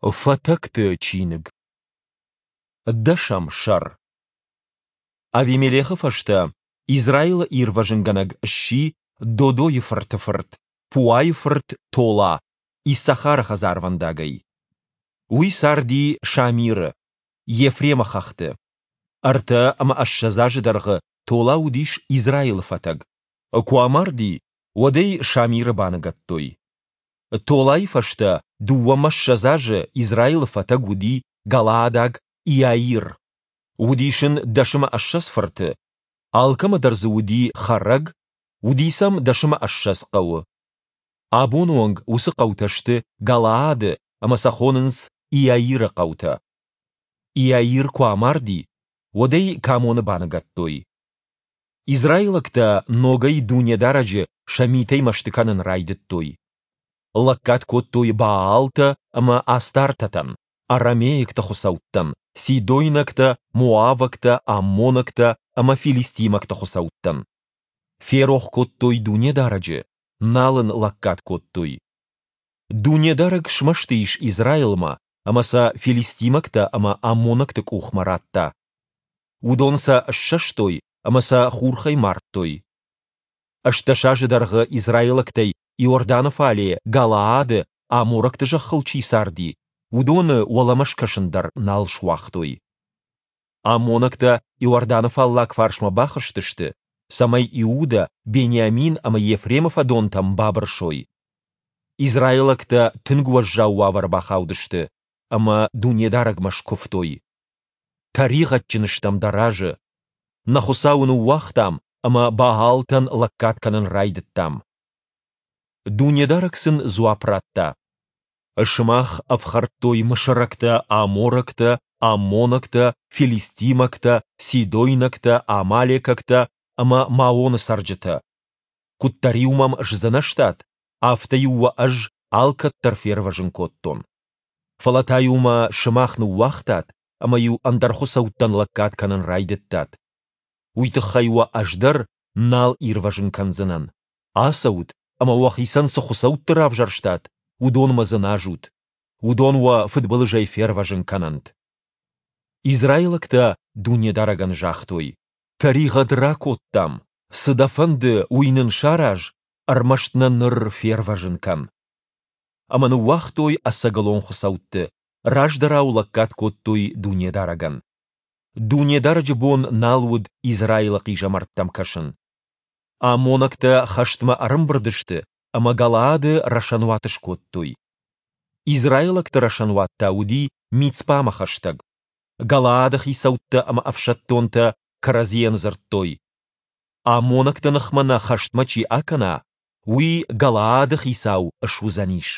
Фӕтӕгты чиныг. Дӕсӕм сӕр. Авимелехы фӕстӕ Израилы ирвӕзынгӕнӕг сси Додойы фырты фырт, Пуайы фырт Тола, Иссахары хӕдзарвӕндагӕй. Уый царди Шамиры, Ефремы хӕхты. 63 азы дӕргъы Тола уыдис Израилы фӕтӕг. Куы амарди, уӕд ӕй Шамиры баныгӕдтой. Толайы фӕстӕ 22 азы Израилы фӕтӕг уыди галаадаг Иаир. Уыдис ын 21 фырты, алкӕмӕ дӕр дзы уыди хӕрӕг, уыди сӕм 21 хъӕуы. Абоны онг уыцы хъӕутӕ сты Галаады ӕмӕ сӕ хонынц Иаиры хъӕутӕ. Иаир куы амарди, уӕд ӕй Камоны баныгӕдтой. Израилӕгтӕ ногӕй Дунедарӕджы сӕ митӕй мӕсты кӕнын райдыдтой. Лӕггад кодтой Баалтӕ ӕмӕ Астартӕтӕн, арамейӕгты хуыцӕуттӕн, сидойнӕгтӕ, моавӕгтӕ, аммонӕгтӕ ӕмӕ филистимӕгты хуыцӕуттӕн. Ферох кодтой Дунедарӕджы, нал ын лӕггад кодтой. Дунедарӕг смӕсты ис Израилмӕ ӕмӕ сӕ филистимӕгтӕ ӕмӕ аммонӕгты къухмӕ радта. Уыдон сӕ ссӕстой ӕмӕ сӕ хурхӕй мардтой. 18 азы дӕргъы израилӕгтӕй Иорданы фале Галаады аморӕгты зӕххыл чи царди, уыдоны уӕлӕмӕ скӕсын дӕр нал суагътой. Аммонӕгтӕ Иорданы фаллаг фарсмӕ бахызтысты, цӕмӕй Иудӕ, Бениамин ӕмӕ Ефремы фӕдонтӕм бабырсой. Израилӕгтӕ тынг уӕззау уавӕры бахаудысты ӕмӕ Дунедарӕгмӕ скуывтой. Тӕригъӕдджын стӕм дӕ разы. Нӕ Хуыцауы ныууагътам ӕмӕ Баалтӕн лӕггад кӕнын райдыдтам. Дунедарӕг сын дзуапп радта: Сымах ӕфхӕрдтой мысырӕгтӕ, аморӕгтӕ, аммонӕгтӕ, филистимӕгтӕ, сидойнӕгтӕ, амалекӕгтӕ ӕмӕ Маоны цӕрджытӕ. Куыддӕр-иу мӕм сдзынӕзтат, афтӕ-иу уӕ ӕз алкӕддӕр фервӕзын кодтон. Фӕлӕ та-иу мӕ сымах ныууагътат ӕмӕ-иу ӕндӕр хуыцӕуттӕн лӕггад кӕнын райдыдтат. Уый тыххӕй уӕ ӕз дӕр нал ирвӕзын кӕндзынӕн. Ацӕут ӕмӕ уӕхицӕн цы хуыцӕутты равзӕрстат, уыдонмӕ дзыназут. Уыдон уӕ фыдбылызӕй фервӕзын кӕнӕнт. Израилӕгтӕ Дунедарӕгӕн загътой: Тӕригъӕд ракодтам, цы дӕ фӕнды, уый нын сараз, ӕрмӕст нӕ ныр фервӕзын кӕн. Ӕмӕ ныууагътой ӕцӕгӕлон хуыцӕутты, раздӕрау лӕггад кодтой Дунедарӕгӕн. Дунедарӕджы бон нал уыд Израилы хъизӕмӕрттӕм кӕсын. Аммонӕгтӕ хӕстмӕ ӕрӕмбырд сты ӕмӕ Галаады рӕсӕнуат скодтой. Израилӕгты рӕсӕнуат та уыди Мицпамӕ хӕстӕг. Галаады хицӕуттӕ ӕмӕ ӕфсӕддонтӕ кӕрӕдзийӕн дзырдтой: Аммонӕгты ныхмӕ нӕ хӕстмӕ чи акӕна, уый Галаады хицау суыдзӕнис.